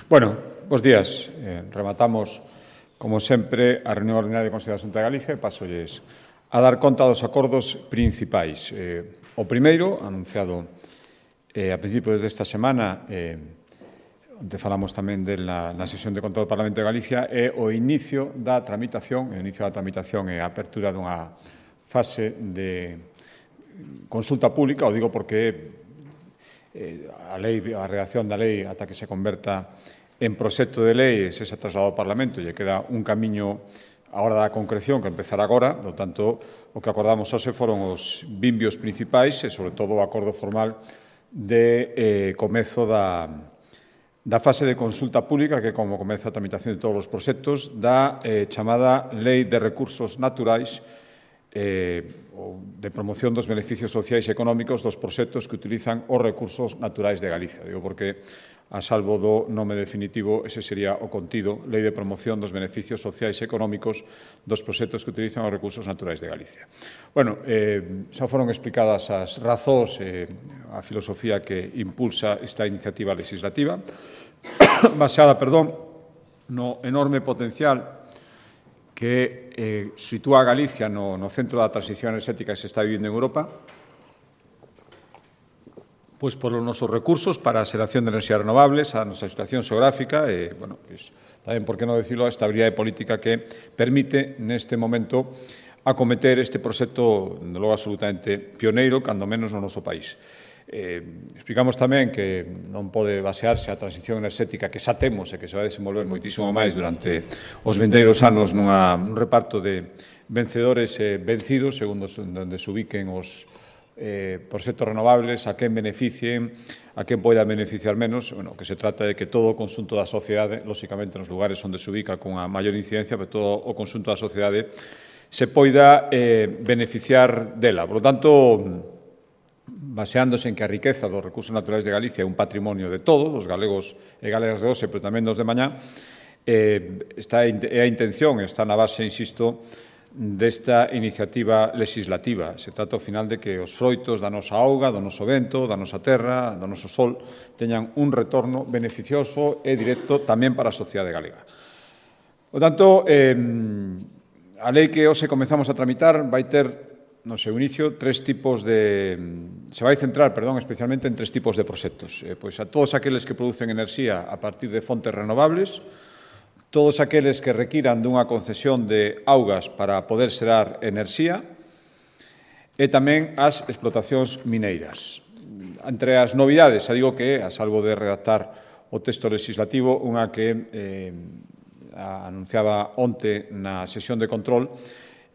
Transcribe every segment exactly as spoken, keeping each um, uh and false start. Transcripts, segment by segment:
Bueno, bos días. Eh, rematamos, como sempre, a reunión ordinaria do Consello da Xunta de Galicia e pasolles a dar conta dos acordos principais. Eh, o primeiro, anunciado eh, a principios desta semana, eh, onde falamos tamén de la, na sesión de control do Parlamento de Galicia, é o inicio da tramitación, o inicio da tramitación e a apertura dunha fase de consulta pública, o digo porque eh, a lei, a redacción da lei ata que se converta en proxecto de lei e se xa trasladado ao Parlamento e queda un camiño a hora da concreción que empezará agora, por tanto, o que acordamos hoxe foron os vimbios principais e, sobre todo, o acordo formal de eh, comezo da, da fase de consulta pública que, como comeza a tramitación de todos os proxectos, da eh, chamada Lei de Recursos Naturais eh, de promoción dos beneficios sociais e económicos dos proxectos que utilizan os recursos naturais de Galicia. Digo porque, a salvo do nome definitivo, ese sería o contido, Lei de Promoción dos Beneficios Sociais e Económicos dos proxectos que utilizan os recursos naturais de Galicia. Bueno, eh, xa foron explicadas as razóns e eh, a filosofía que impulsa esta iniciativa legislativa, baseada, perdón, no enorme potencial que eh, sitúa a Galicia no, no centro da transición enerxética que se está vivindo en Europa, pois polos nosos recursos para a xeración de enerxías renovables, a nosa situación xeográfica e, bueno, pois, tamén, por que non decirlo, a estabilidade política que permite, neste momento, acometer este proxecto, de logo, absolutamente pioneiro, cando menos no noso país. Eh, explicamos tamén que non pode basearse a transición enerxética que xa temos e que se vai desenvolver moitísimo máis durante os vindeiros anos nunha, nun reparto de vencedores e vencidos, segundo onde se ubiquen os Eh, proxectos renovables, a quen beneficien, a quen poida beneficiar menos. Bueno, que se trata de que todo o conxunto da sociedade, lóxicamente nos lugares onde se ubica con a maior incidencia, pero todo o conxunto da sociedade se poida eh, beneficiar dela. Por lo tanto, baseándose en que a riqueza dos recursos naturais de Galicia é un patrimonio de todos, dos galegos e galegas de hoxe, pero tamén dos de mañá, eh, está é a intención, está na base, insisto, desta iniciativa legislativa. Se trata, ao final, de que os froitos da nosa auga, do noso vento, da nosa terra, do noso sol, teñan un retorno beneficioso e directo tamén para a sociedade galega. Por tanto, eh, a lei que hoxe comezamos a tramitar vai ter, no seu inicio, tres tipos de... Se vai centrar, perdón, especialmente en tres tipos de proxectos. Eh, pois a todos aqueles que producen enerxía a partir de fontes renovables, todos aqueles que requiran dunha concesión de augas para poder xerar enerxía e tamén as explotacións mineiras. Entre as novidades, xa digo que, a salvo de redactar o texto legislativo, unha que eh, anunciaba onte na sesión de control,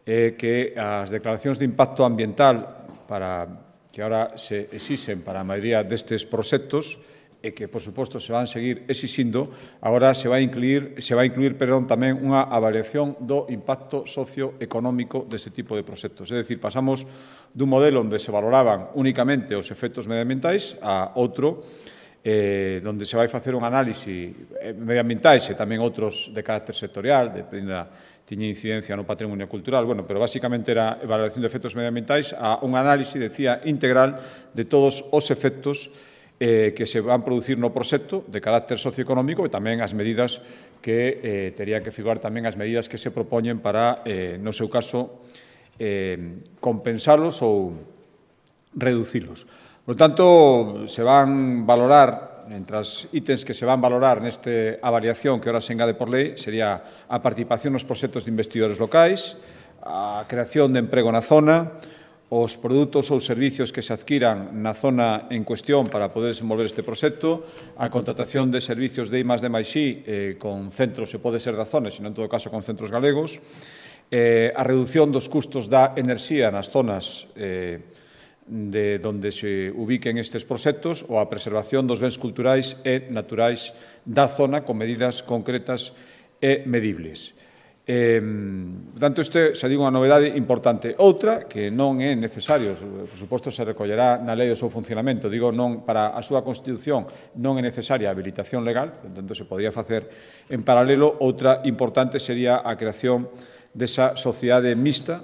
é que as declaracións de impacto ambiental para que ahora se exixen para a maioría destes proxectos e que, por suposto, se van seguir exixindo, agora se vai incluir, se vai incluir perdón, tamén unha avaliación do impacto socioeconómico deste tipo de proxectos. É dicir, pasamos dun modelo onde se valoraban únicamente os efectos medioambientais a outro eh, onde se vai facer un análise medioambientais e tamén outros de carácter sectorial, depende da tiña incidencia no patrimonio cultural, bueno, pero basicamente era evaluación de efectos medioambientais a un análise, decía, integral de todos os efectos Eh, que se van producir no proxecto de carácter socioeconómico e tamén as medidas que eh, terían que figurar tamén as medidas que se propoñen para, eh, no seu caso, eh, compensalos ou reducilos. Por tanto, se van valorar, entre as ítems que se van valorar neste avaliación que ahora se engade por lei, sería a participación nos proxectos de investidores locais, a creación de emprego na zona, os produtos ou servicios que se adquiran na zona en cuestión para poder desenvolver este proxecto, a contratación de servicios de I más D máis I eh, con centros, se pode ser da zona, sino en todo caso con centros galegos, eh, a reducción dos custos da enerxía nas zonas eh, de onde se ubiquen estes proxectos ou a preservación dos bens culturais e naturais da zona con medidas concretas e medibles. Eh, por tanto, isto xa digo unha novedade importante. Outra, que non é necesario, por suposto se recollerá na lei do seu funcionamento, digo, non para a súa constitución non é necesaria a habilitación legal, por tanto se podría facer en paralelo. Outra importante sería a creación desa sociedade mixta,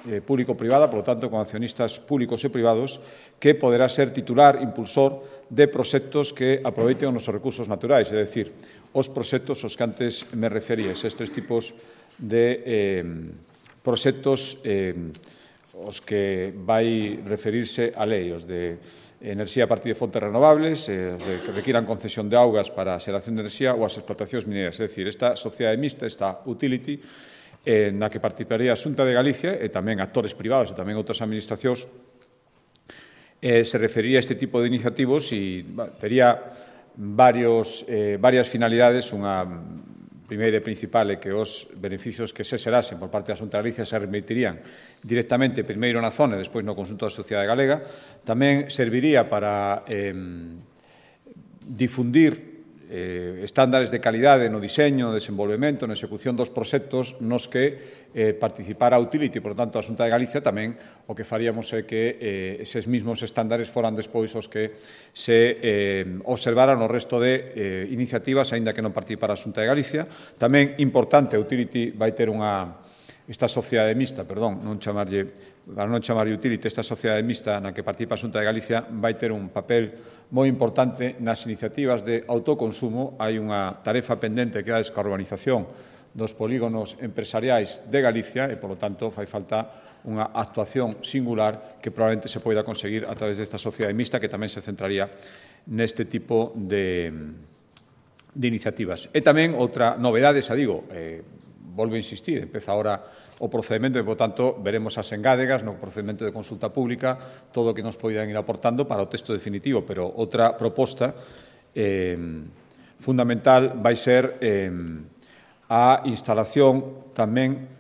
eh, público-privada, por lo tanto, con accionistas públicos e privados, que poderá ser titular, impulsor de proxectos que aproveiten os nosos recursos naturais, é dicir, os proxectos aos que antes me referías, estes tipos de eh, proxectos eh, os que vai referirse a lei, os de enerxía a partir de fontes renovables, eh, os de que requiran concesión de augas para a xeración de enerxía ou as explotacións mineras. É dicir, esta sociedade mixta, esta utility, eh, na que participaría a Xunta de Galicia e tamén actores privados e tamén outras administracións, eh, se referiría a este tipo de iniciativos e bah, tería varios, eh, varias finalidades. Unha primeira e principal é que os beneficios que se xerasen por parte da Xunta de Galicia se remitirían directamente primeiro na zona e despois no conxunto da sociedade galega. Tamén serviría para eh, difundir eh, estándares de calidade no diseño, no desenvolvemento, na execución dos proxectos nos que eh, participara a Utility, por tanto, a Xunta de Galicia. Tamén o que faríamos é que eh, eses mismos estándares foran despois os que se eh, observaran o resto de eh, iniciativas, aínda que non participara a Xunta de Galicia. Tamén importante, a Utility vai ter unha esta sociedade mixta, perdón, non chamarlle, para non chamarlle utility, esta sociedade mixta na que participa a Xunta de Galicia vai ter un papel moi importante nas iniciativas de autoconsumo. Hai unha tarefa pendente que é a descarbonización dos polígonos empresariais de Galicia e, polo tanto, fai falta unha actuación singular que probablemente se poida conseguir a través desta sociedade mixta, que tamén se centraría neste tipo de, de iniciativas. E tamén outra novedade, xa digo, eh, volvo a insistir, empeza ahora o procedimento e, por tanto, veremos as engádegas no procedimento de consulta pública, todo o que nos poidan ir aportando para o texto definitivo, pero outra proposta eh, fundamental vai ser eh, a instalación tamén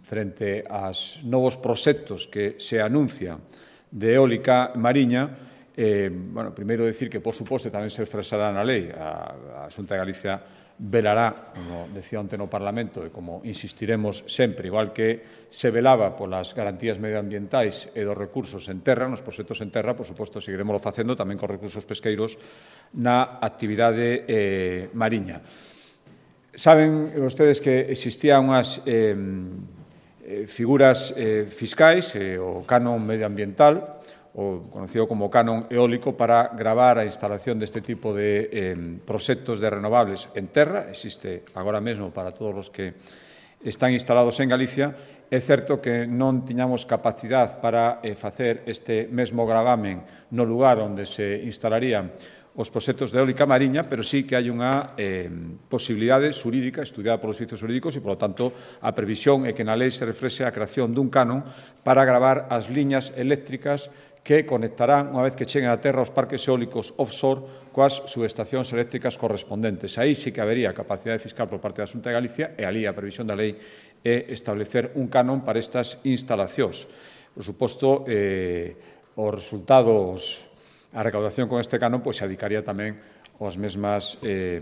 frente aos novos proxectos que se anuncian de eólica mariña. Eh, bueno, primeiro decir que, por suposto, tamén se expresará na lei. A, a Xunta de Galicia velará, como decía onte no Parlamento, e como insistiremos sempre, igual que se velaba polas garantías medioambientais e dos recursos en terra, nos proxectos en terra, por suposto, seguiremos facendo tamén con recursos pesqueiros na actividade eh, mariña. Saben vostedes que existían unhas eh, figuras eh, fiscais, eh, o canon medioambiental, o conocido como canon eólico, para gravar a instalación deste tipo de eh, proxectos de renovables en terra. Existe agora mesmo para todos os que están instalados en Galicia. É certo que non tiñamos capacidade para eh, facer este mesmo gravamen no lugar onde se instalarían os proxectos de eólica mariña, pero sí que hai unha eh, posibilidade xurídica estudiada polos servizos xurídicos e, polo tanto, a previsión é que na lei se reflexe a creación dun canon para gravar as liñas eléctricas que conectarán, unha vez que cheguen a terra, os parques eólicos offshore coas subestacións eléctricas correspondentes. Aí sí que habería capacidade fiscal por parte da Xunta de Galicia e ali a previsión da lei é establecer un canon para estas instalacións. Por suposto, eh, os resultados, a recaudación con este canon, pois se adicaría tamén as mesmas eh,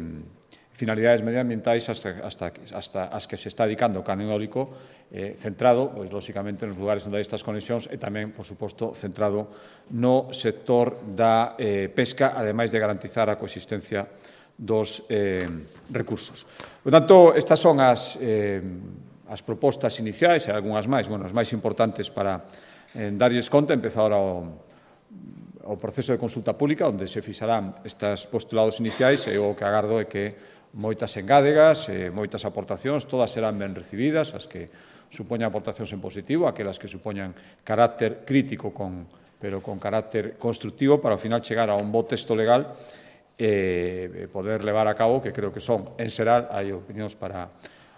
finalidades medioambientais hasta, hasta, hasta as que se está dedicando o canon eólico, eh, centrado, pois, lóxicamente, nos lugares onde hai estas conexións e tamén, por suposto, centrado no sector da eh, pesca, ademais de garantizar a coexistencia dos eh, recursos. Por tanto, estas son as, eh, as propostas iniciais e algunhas máis, bueno, as máis importantes para eh, darlles conta. Empeza ahora o o proceso de consulta pública, onde se fixarán estes postulados iniciais, e o que agardo é que moitas engádegas, eh, moitas aportacións, todas serán ben recibidas, as que supoñan aportacións en positivo, aquelas que supoñan carácter crítico, con, pero con carácter constructivo, para ao final chegar a un bo texto legal e eh, poder levar a cabo, que creo que son, en xeral, hai opinións para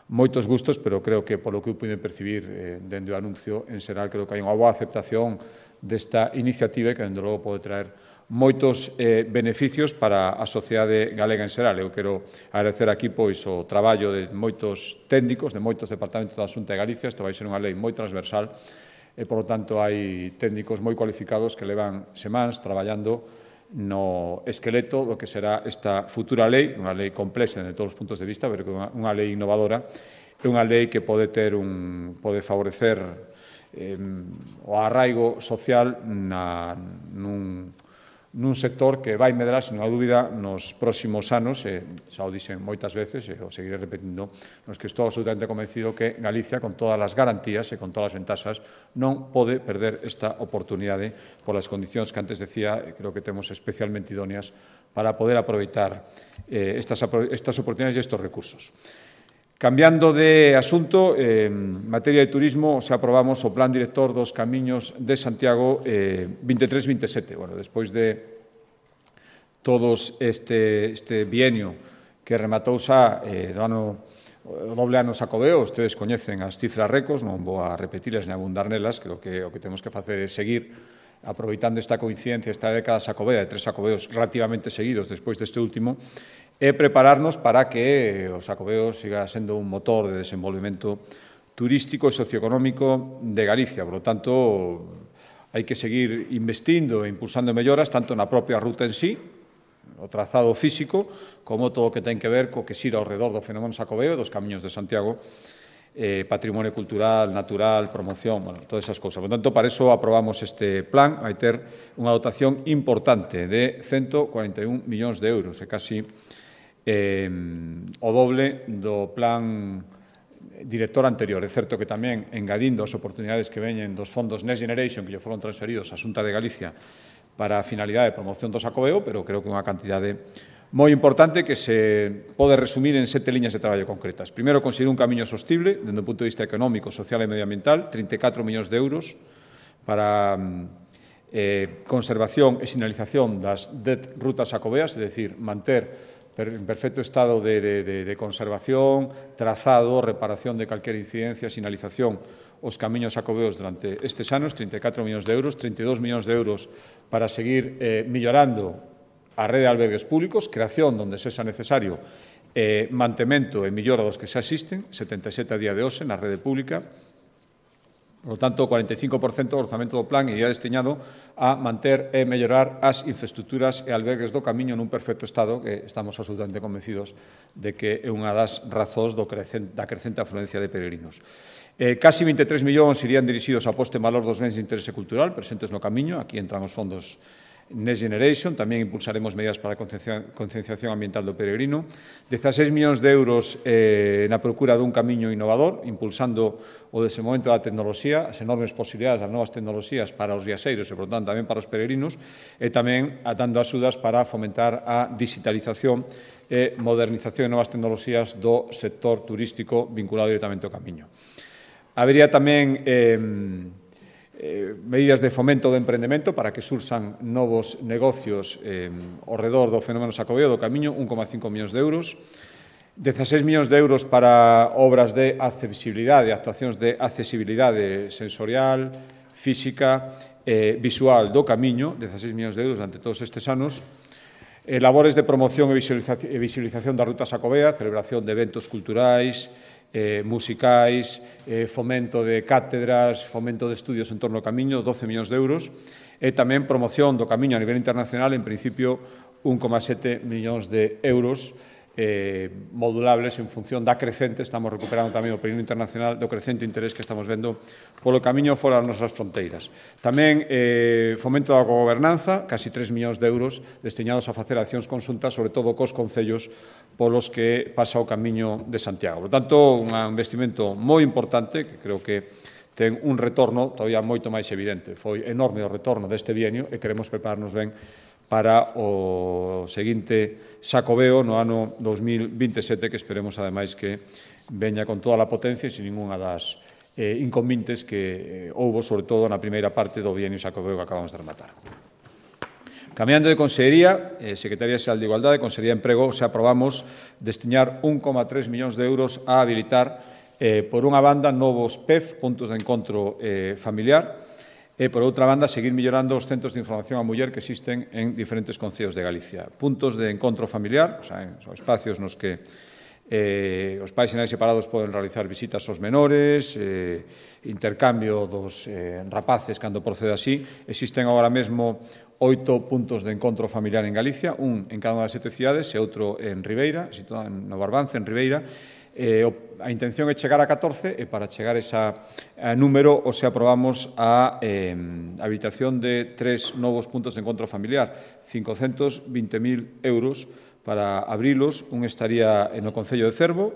moitos gustos, pero creo que, polo que eu pude percibir eh, dende o anuncio, en xeral, creo que hai unha boa aceptación desta iniciativa que, dende logo, pode traer moitos eh, beneficios para a sociedade galega en xeral. Eu quero agradecer aquí pois o traballo de moitos técnicos, de moitos departamentos da Xunta de Galicia. Isto vai ser unha lei moi transversal e, por lo tanto, hai técnicos moi cualificados que levan semáns traballando no esqueleto do que será esta futura lei, unha lei complexa de todos os puntos de vista, pero que unha, unha lei innovadora, é unha lei que pode ter un, pode favorecer eh, o arraigo social na, nun, nun sector que vai medrar, sen unha dúbida, nos próximos anos, e xa o dixen moitas veces, e o seguiré repetindo, nos que estou absolutamente convencido que Galicia, con todas as garantías e con todas as ventaxas, non pode perder esta oportunidade polas condicións que antes decía, e creo que temos especialmente idóneas para poder aproveitar eh, estas, estas oportunidades e estes recursos. Cambiando de asunto, eh, en materia de turismo, se aprobamos o Plan Director dos Camiños de Santiago eh, veintitrés veintisiete. Bueno, despois de todos este, este bienio que rematou xa eh, do ano, o doble ano Xacobeo, ustedes coñecen as cifras récords, non vou a repetilas nem abundar nelas, creo que o que temos que facer é seguir aproveitando esta coincidencia, esta década xacobea de tres xacobeos relativamente seguidos despois deste último, e prepararnos para que o Xacobeo siga sendo un motor de desenvolvemento turístico e socioeconómico de Galicia. Por lo tanto, hai que seguir investindo e impulsando melloras tanto na propia ruta en sí, o trazado físico, como todo o que ten que ver co que xira ao redor do fenómeno Xacobeo e dos Camiños de Santiago, eh, patrimonio cultural, natural, promoción, bueno, todas esas cousas. Por tanto, para iso aprobamos este plan, vai ter unha dotación importante de ciento cuarenta e un millóns de euros, e casi Eh, o doble do plan director anterior. É certo que tamén, engadindo as oportunidades que veñen dos fondos Next Generation que lle foron transferidos á Xunta de Galicia para a finalidade de promoción do Xacobeo, pero creo que é unha cantidade moi importante que se pode resumir en sete liñas de traballo concretas. Primeiro, conseguir un camiño sostible, dende o punto de vista económico, social e medioambiental, trinta e catro millóns de euros para eh, conservación e sinalización das dez rutas xacobeas, é dicir, manter en perfecto estado de, de, de, de conservación, trazado, reparación de calquera incidencia, sinalización os camiños xacobeos durante estes anos, trinta e catro millóns de euros, trinta e dous millóns de euros para seguir eh, millorando a rede de albergues públicos, creación donde sexa necesario, eh, mantemento e millora dos que xa existen, setenta e sete a día de hoxe na rede pública. Por lo tanto, o cuarenta e cinco por cento do orzamento do plan iría destinado a manter e mellorar as infraestructuras e albergues do camiño nun perfecto estado, que estamos absolutamente convencidos de que é unha das razóns do crecente, da crecente afluencia de peregrinos. Eh, casi vinte e tres millóns irían dirixidos ao posto en valor dos bens de interese cultural presentes no camiño. Aquí entran os fondos Next Generation, tamén impulsaremos medidas para a concienciación ambiental do peregrino. dezaseis millóns de euros eh, na procura dun camiño innovador, impulsando o desenvolvemento da tecnoloxía, as enormes posibilidades das novas tecnoloxías para os viaxeiros e, por tanto, tamén para os peregrinos, e tamén dando axudas para fomentar a digitalización e modernización de novas tecnoloxías do sector turístico vinculado directamente ao camiño. Habería tamén eh, Eh, medidas de fomento do emprendemento para que sursan novos negocios eh, ao redor do fenómeno xacobeo do camiño, un coma cinco millóns de euros, dezaseis millóns de euros para obras de accesibilidade, actuacións de accesibilidade sensorial, física e eh, visual do camiño, dezaseis millóns de euros durante todos estes anos, eh, labores de promoción e visualización, e visualización da ruta xacobea, celebración de eventos culturais, Eh, musicais, eh, fomento de cátedras, fomento de estudios en torno ao camiño, doce millóns de euros, e tamén promoción do camiño a nivel internacional, en principio, un coma sete millóns de euros eh, modulables en función da crecente, estamos recuperando tamén o período internacional, do crecente interés que estamos vendo polo camiño fora das nosas fronteiras. Tamén eh, fomento da gobernanza, casi tres millóns de euros destinados a facer accións conxuntas, sobre todo cos concellos polos que pasa o camiño de Santiago. Por tanto, un investimento moi importante, que creo que ten un retorno todavía moito máis evidente. Foi enorme o retorno deste bienio e queremos prepararnos ben para o seguinte xacobeo no ano dos mil veintisiete, que esperemos, ademais, que veña con toda a potencia e sin ninguna das eh, inconvenientes que eh, houbo, sobre todo, na primeira parte do bienio xacobeo que acabamos de rematar. Cambiando de Consellería, eh, Secretaría Xeral de Igualdade, Consellería de Emprego, se aprobamos destinar un coma tres millóns de euros a habilitar, eh, por unha banda, novos P E F, puntos de encontro eh, familiar, e, por outra banda, seguir mellorando os centros de información á muller que existen en diferentes concellos de Galicia. Puntos de encontro familiar, o sea, son espacios nos que eh, os pais e nais separados poden realizar visitas aos menores, eh, intercambio dos eh, rapaces cando procede así. Existen agora mesmo oito puntos de encontro familiar en Galicia, un en cada unha das sete cidades e outro en Ribeira, situado no Barbance, en Ribeira. Eh, a intención é chegar a catorce e para chegar a ese número o se aprobamos a eh, habilitación de tres novos puntos de encontro familiar, cincocentos vinte mil euros para abrilos. Un estaría no Concello de Cervo,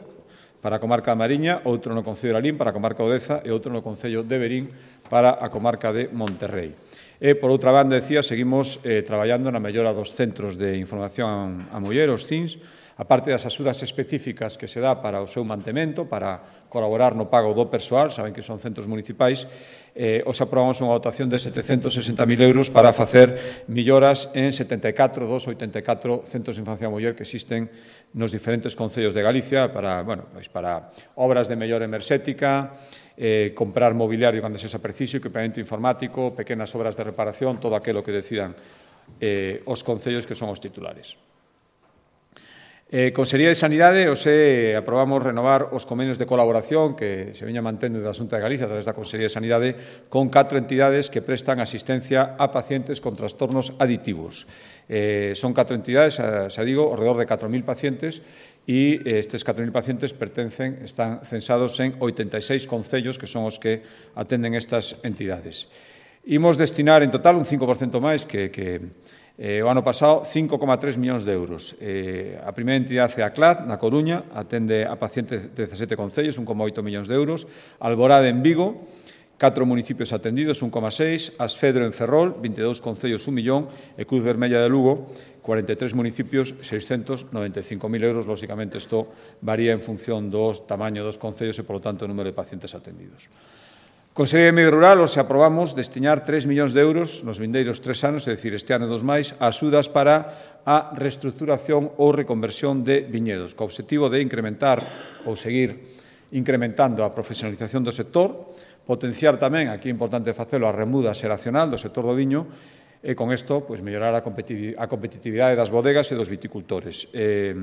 para a comarca da Mariña, outro no Concello de Lalín, para a comarca de Odeza, e outro no Concello de Verín, para a comarca de Monterrey. E, por outra banda, decía, seguimos eh, traballando na mellora dos centros de información a muller, os C I Ns, a parte das axudas específicas que se dá para o seu mantemento, para colaborar no pago do persoal, saben que son centros municipais, eh, os aprobamos unha dotación de setecentos sesenta mil euros para facer melloras en setenta e catro dos oitenta e catro centros de infancia a muller que existen nos diferentes concellos de Galicia para, bueno, pois para obras de mellora enerxética, eh, comprar mobiliario cando sexa preciso, equipamento informático, pequenas obras de reparación, todo aquilo que decidan eh, os concellos que son os titulares. Eh, Consellería de Sanidade, hoxe aprobamos renovar os convenios de colaboración que se veña mantendo da Xunta de Galicia a través da Consellería de Sanidade con catro entidades que prestan asistencia a pacientes con trastornos aditivos. Eh, son catro entidades, xa digo, alrededor de catro mil pacientes e estes catro mil pacientes pertencen, están censados en oitenta e seis concellos que son os que atenden estas entidades. Imos destinar en total un cinco por cento máis que, que Eh, o ano pasado, cinco coma tres millóns de euros. Eh, a primeira entidade é a C L A D, na Coruña, atende a pacientes de dezasete concellos, un coma oito millóns de euros. Alborade, en Vigo, catro municipios atendidos, un coma seis. Asfedro, en Ferrol, vinte e dous concellos, un millón. E Cruz Vermella de Lugo, cuarenta e tres municipios, seiscentos noventa e cinco mil euros. Lóxicamente, isto varía en función do tamaño dos concellos e, polo tanto, o número de pacientes atendidos. Consellería de Medio Rural, hoxe aprobamos destinar tres millóns de euros nos vindeiros tres anos, é dicir, este ano e dos máis, a axudas para a reestructuración ou reconversión de viñedos, co obxectivo de incrementar ou seguir incrementando a profesionalización do sector, potenciar tamén, aquí é importante facelo, a remuda xeracional do sector do viño, e con isto, pois, mellorar a competitividade das bodegas e dos viticultores. Eh,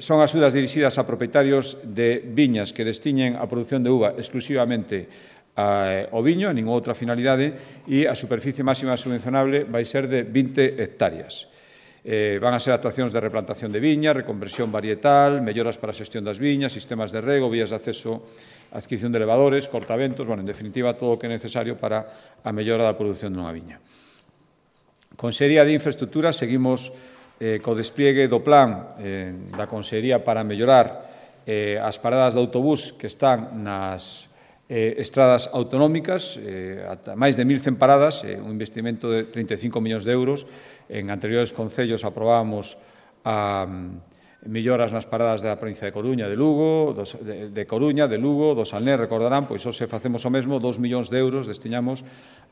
Son axudas dirixidas a propietarios de viñas que destiñen a produción de uva exclusivamente ao viño, a ninguna outra finalidade, e a superficie máxima subvencionable vai ser de vinte hectáreas. Eh, van a ser actuacións de replantación de viña, reconversión varietal, melloras para a xestión das viñas, sistemas de rego, vías de acceso, adquisición de elevadores, cortaventos, bueno, en definitiva, todo o que é necesario para a mellora da produción dunha viña. Consellería de Infraestructuras, seguimos Eh, co despliegue do plan eh, da Consellería para mellorar eh, as paradas de autobús que están nas eh, estradas autonómicas, eh, ata máis de mil cen paradas, eh, un investimento de trinta e cinco millóns de euros. En anteriores concellos aprobábamos a um, melloras nas paradas da provincia de Coruña, de Lugo, dos, de, de Coruña, de Lugo, do Salnés, recordarán, pois hoxe facemos o mesmo, dos millóns de euros destinamos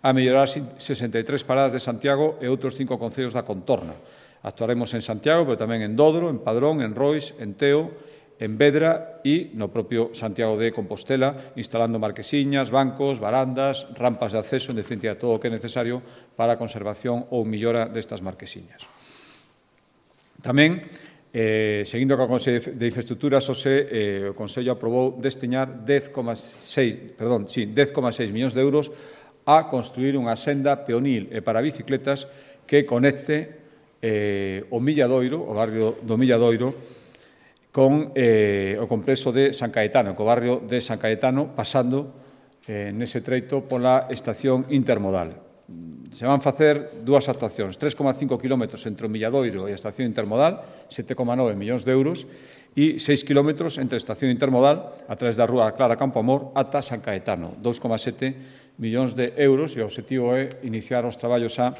a mellorar sesenta e tres paradas de Santiago e outros cinco concellos da contorna. Actuaremos en Santiago, pero tamén en Dodro, en Padrón, en Rois, en Teo, en Vedra e no propio Santiago de Compostela, instalando marquesiñas, bancos, barandas, rampas de acceso, en definitiva, todo o que é necesario para a conservación ou mellora destas marquesiñas. Tamén, eh, seguindo co Consello de Infraestructuras, hoxe eh, o Consello aprobou destinar dez coma seis millóns de euros a construir unha senda peonil e para bicicletas que conecte Eh, o Milladoiro, o barrio do Milladoiro, con eh, o complexo de San Caetano, co barrio de San Caetano, pasando eh, nese treito pola estación intermodal. Se van facer dúas actuacións, tres coma cinco kilómetros entre o Milladoiro e a estación intermodal, sete coma nove millóns de euros, e seis kilómetros entre a estación intermodal, a través da rúa Clara Campoamor, ata San Caetano, dous coma sete millóns de euros, e o obxectivo é iniciar os traballos a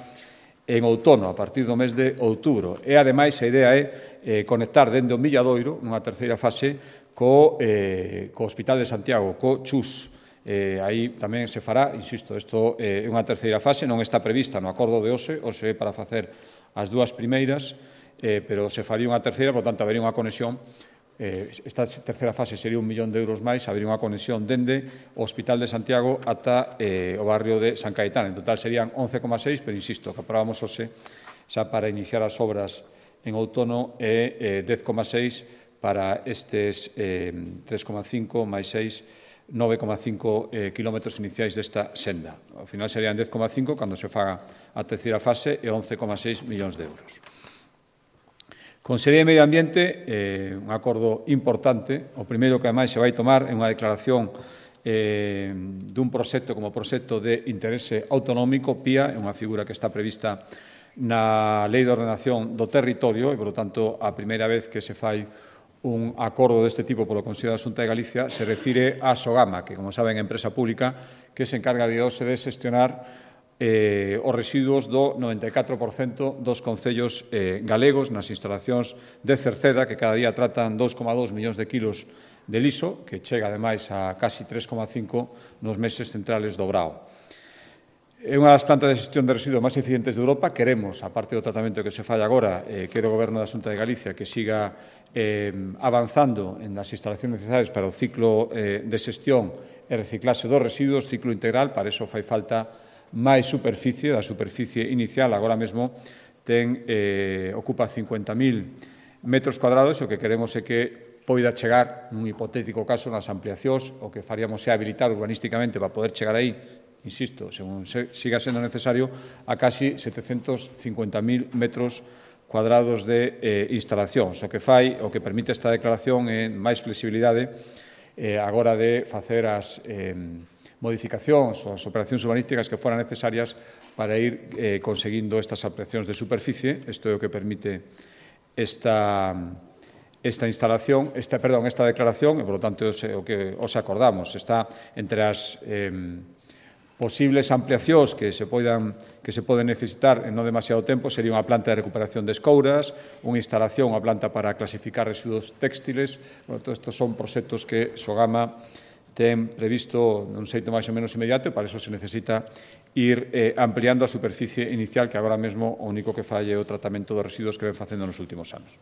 en outono, a partir do mes de outubro. E, ademais, a idea é eh, conectar dende o Milladoiro, nunha terceira fase, co, eh, co Hospital de Santiago, co Chus. Eh, aí tamén se fará, insisto, isto é eh, unha terceira fase, non está prevista no acordo de hoxe, hoxe é para facer as dúas primeiras, eh, pero se faría unha terceira, por tanto, habería unha conexión. Eh, esta terceira fase sería un millón de euros máis, habería unha conexión dende o Hospital de Santiago ata eh, o barrio de San Caetano. En total serían once coma seis, pero insisto, que aprobamos hoxe xa para iniciar as obras en outono e eh, dez coma seis para estes eh, tres coma cinco máis seis, nove coma cinco eh, kilómetros iniciais desta senda. Ao final serían dez coma cinco cando se faga a terceira fase e once coma seis millóns de euros. Consellería de Medio Ambiente, eh, un acordo importante. O primeiro que, ademais, se vai tomar é unha declaración eh, dun proxecto como proxecto de interese autonómico, P I A, é unha figura que está prevista na Lei de Ordenación do Territorio e, por tanto, a primeira vez que se fai un acordo deste tipo polo Consello da Xunta de Galicia se refire a Sogama, que, como saben, é empresa pública que se encarga de hoxe de xestionar Eh, os residuos do noventa e catro por cento dos concellos eh, galegos nas instalacións de Cerceda, que cada día tratan dous coma dous millóns de kilos de liso, que chega, ademais, a casi tres coma cinco nos meses centrales do Brao. É unha das plantas de xestión de residuos máis eficientes de Europa. Queremos, a parte do tratamento que se fai agora, eh, quero o Goberno da Xunta de Galicia que siga eh, avanzando en as instalacións necesarias para o ciclo eh, de xestión e reciclaxe dos residuos, ciclo integral. Para iso fai falta máis superficie, da superficie inicial, agora mesmo ten, eh, ocupa cincuenta mil metros cuadrados, o que queremos é que poida chegar, nun hipotético caso, nas ampliacións, o que faríamos é habilitar urbanísticamente para poder chegar aí, insisto, según se, siga sendo necesario, a casi setecentos cincuenta mil metros cuadrados de eh, instalacións. O que fai, o que permite esta declaración é máis flexibilidade eh, agora de facer as eh, modificacións ou as operacións urbanísticas que foran necesarias para ir eh, conseguindo estas ampliacións de superficie. Isto é o que permite esta, esta instalación, esta, perdón, esta declaración, e, por lo tanto, é o que os acordamos. Está entre as eh, posibles ampliacións que se poidan que se poden necesitar en non demasiado tempo. Sería unha planta de recuperación de escouras, unha instalación, unha planta para clasificar residuos textiles. Bueno, todos estes son proxectos que Sogama ten previsto nun xeito máis ou menos inmediato, e para iso se necesita ir eh, ampliando a superficie inicial, que agora mesmo o único que fai é o tratamento dos residuos que ven facendo nos últimos anos.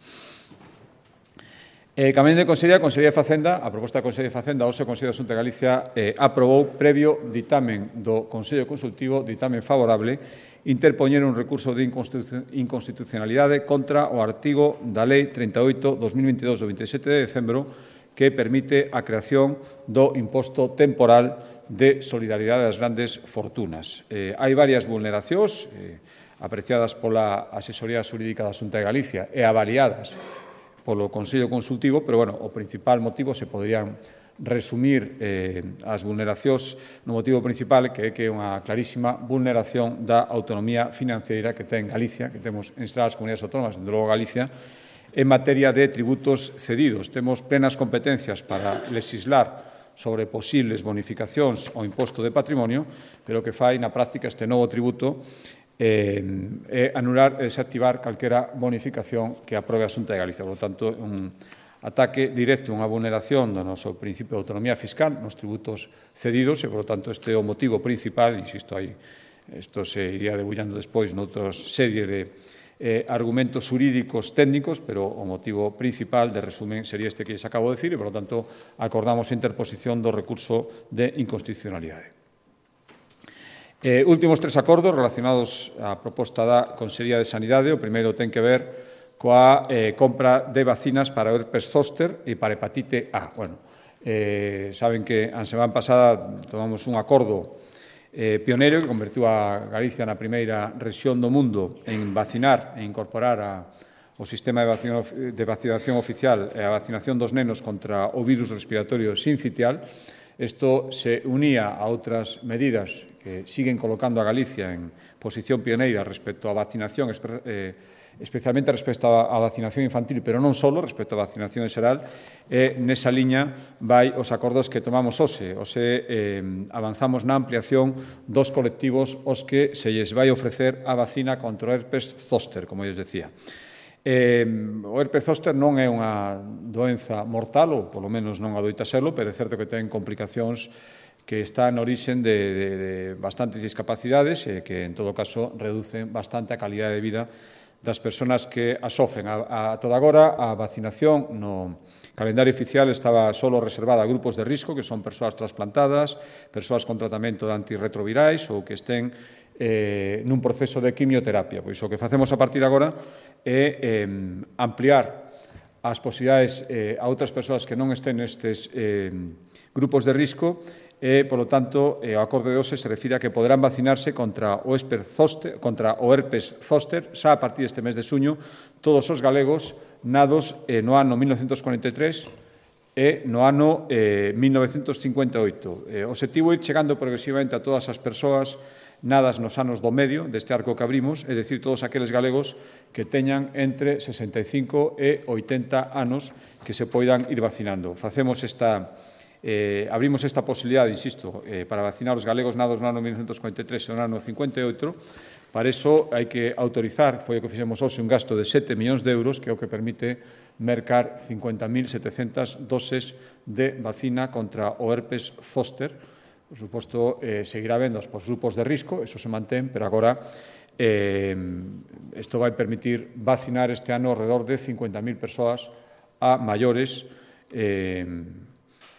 Eh, Cambiando de Consellería, a Consellería de Facenda, a proposta da Consellería de Facenda, hoxe o Consello da Xunta de Galicia eh, aprobou, previo ditamen do Consello Consultivo, ditamen favorable, interpoñer un recurso de inconstitucionalidade contra o artigo da Lei trinta e oito barra dos mil veintidós do veinte e sete de decembro, que permite a creación do imposto temporal de solidaridade das grandes fortunas. Eh, hai varias vulneracións eh, apreciadas pola asesoría xurídica da Xunta de Galicia e avaliadas polo Consello Consultivo, pero, bueno, o principal motivo se poderían resumir eh, as vulneracións no motivo principal, que é que é unha clarísima vulneración da autonomía financeira que ten Galicia, que temos en as comunidades autónomas, dende logo Galicia, en materia de tributos cedidos. Temos plenas competencias para legislar sobre posibles bonificacións ao imposto de patrimonio, pero o que fai na práctica este novo tributo eh, é anular e desactivar calquera bonificación que aprobe a Xunta de Galicia. Por lo tanto, un ataque directo, unha vulneración do noso principio de autonomía fiscal nos tributos cedidos, e, por lo tanto, este é o motivo principal. Insisto, aí, isto se iría debullando despois noutra serie de Eh, argumentos xurídicos técnicos, pero o motivo principal de resumen sería este que lles acabo de decir, e, por lo tanto, acordamos a interposición do recurso de inconstitucionalidade. Eh, últimos tres acordos relacionados á proposta da Consellería de Sanidade. O primeiro ten que ver coa eh, compra de vacinas para o herpes zóster e para hepatite A. Bueno, eh, saben que a semana pasada tomamos un acordo Eh, pioneiro que convertiu a Galicia na primeira rexión do mundo en vacinar e incorporar a, o sistema de vacinación, de vacinación oficial e a vacinación dos nenos contra o virus respiratorio sincitial. Isto se unía a outras medidas que siguen colocando a Galicia en posición pioneira respecto á vacinación, eh, especialmente respecto á vacinación infantil, pero non só, respecto á vacinación en xeral. E nesa liña vai os acordos que tomamos hoxe. Hoxe eh, avanzamos na ampliación dos colectivos aos que se lles vai ofrecer a vacina contra o herpes zóster, como lles decía. Eh, o herpes zóster non é unha doenza mortal, ou polo menos non adoita serlo, pero é certo que ten complicacións que están en orixen de, de, de bastantes discapacidades e que, en todo caso, reducen bastante a calidade de vida das persoas que a sofren. A, a toda agora, a vacinación no calendario oficial estaba solo reservada a grupos de risco, que son persoas trasplantadas, persoas con tratamento de antirretrovirais ou que estén eh, nun proceso de quimioterapia. Pois o que facemos a partir de agora é eh, ampliar as posibilidades eh, a outras persoas que non estén nestes eh, grupos de risco. E, polo tanto, o acordo de hoxe se refire a que poderán vacinarse contra o herpes zóster, contra o herpes zóster xa a partir deste mes de xuño todos os galegos nados eh, no ano mil novecentos cuarenta e tres e no ano eh, mil novecentos cincuenta e oito. Eh, o obxectivo é ir chegando progresivamente a todas as persoas nadas nos anos do medio deste arco que abrimos, é dicir, todos aqueles galegos que teñan entre sesenta e cinco e oitenta anos que se poidan ir vacinando. Facemos esta, eh, abrimos esta posibilidade, insisto, eh, para vacinar os galegos nados no ano mil novecentos cuarenta e tres e no ano cincuenta e oito. Para iso hai que autorizar, foi o que fixemos hoxe, un gasto de sete millóns de euros, que é o que permite mercar cincuenta mil setecentas doses de vacina contra o herpes zóster. Por suposto, eh, seguirá vendo os grupos de risco, eso se mantén, pero agora eh, isto vai permitir vacinar este ano alrededor de cincuenta mil persoas a maiores eh,